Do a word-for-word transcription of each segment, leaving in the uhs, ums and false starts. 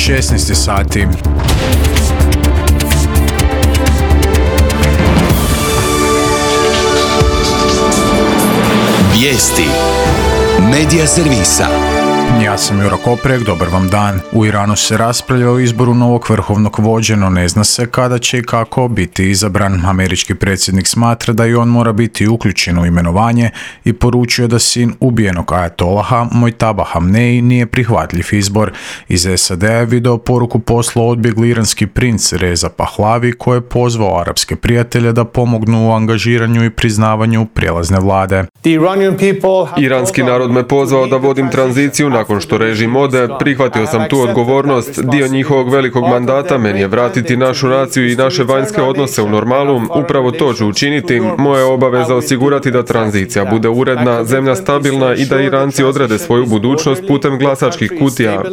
šesnaest sati. Vijesti Medija servisa. Ja sam Juro Koprek, dobar vam dan. U Iranu se raspravlja o izboru novog vrhovnog vođe, no ne zna se kada će i kako biti izabran. Američki predsjednik smatra da i on mora biti uključen u imenovanje i poručio da sin ubijenog ajatolaha Mojtaba Hamnei nije prihvatljiv izbor. Iz S A D-a je video poruku poslao odbjegli iranski princ Reza Pahlavi koji je pozvao arapske prijatelje da pomognu u angažiranju i priznavanju prijelazne vlade. Iranski narod me pozvao da vodim tranziciju nakon što režim ode, prihvatio sam tu odgovornost. Dio njihovog velikog mandata meni je vratiti našu naciju i naše vanjske odnose u normalu. Upravo to ću učiniti. Moja je obaveza osigurati da tranzicija bude uredna, zemlja stabilna i da Iranci odrede svoju budućnost putem glasačkih kutija.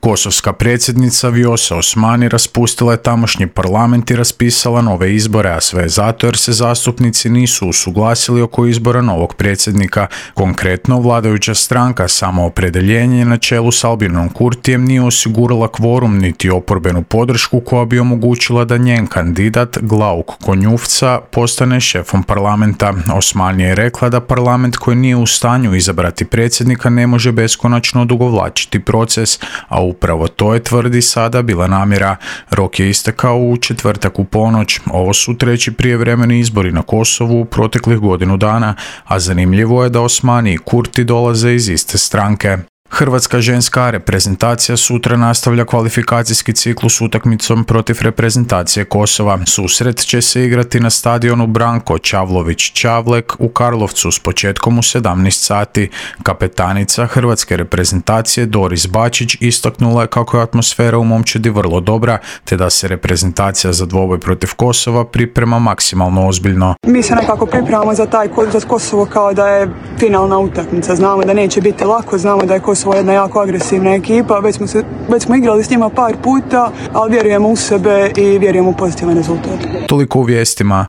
Kosovska predsjednica Vjosa Osmani raspustila je tamošnji parlament i raspisala nove izbore, a sve zato jer se zastupnici nisu usuglasili oko izbora novog predsjednika. Konkretno, vladajuća stranka Samoopredeljenje na čelu s Albinom Kurtijem nije osigurala kvorum niti oporbenu podršku koja bi omogućila da njen kandidat Glauk Konjufca postane šefom parlamenta. Osmani je rekla da parlament koji nije u stanju izabrati predsjednika ne može beskonačno odugovlačiti proces, a u Upravo to je, tvrdi, sada bila namjera. Rok je istekao u četvrtak u ponoć. Ovo su treći prijevremeni izbori na Kosovu u proteklih godinu dana, a zanimljivo je da Osmani i Kurti dolaze iz iste stranke. Hrvatska ženska reprezentacija sutra nastavlja kvalifikacijski ciklus utakmicom protiv reprezentacije Kosova. Susret će se igrati na stadionu Branko Čavlović-Čavlek u Karlovcu s početkom u sedamnaest sati. Kapetanica hrvatske reprezentacije Doris Bačić istaknula je kako je atmosfera u momčadi vrlo dobra, te da se reprezentacija za dvoboj protiv Kosova priprema maksimalno ozbiljno. Mi se nekako pripremamo za taj za Kosovo kao da je finalna utakmica. Znamo da neće biti lako, znamo da je Kosovo jedna jako agresivna ekipa, već smo, se, već smo igrali s njima par puta, ali vjerujemo u sebe i vjerujemo u pozitivan rezultat. Toliko u vijestima.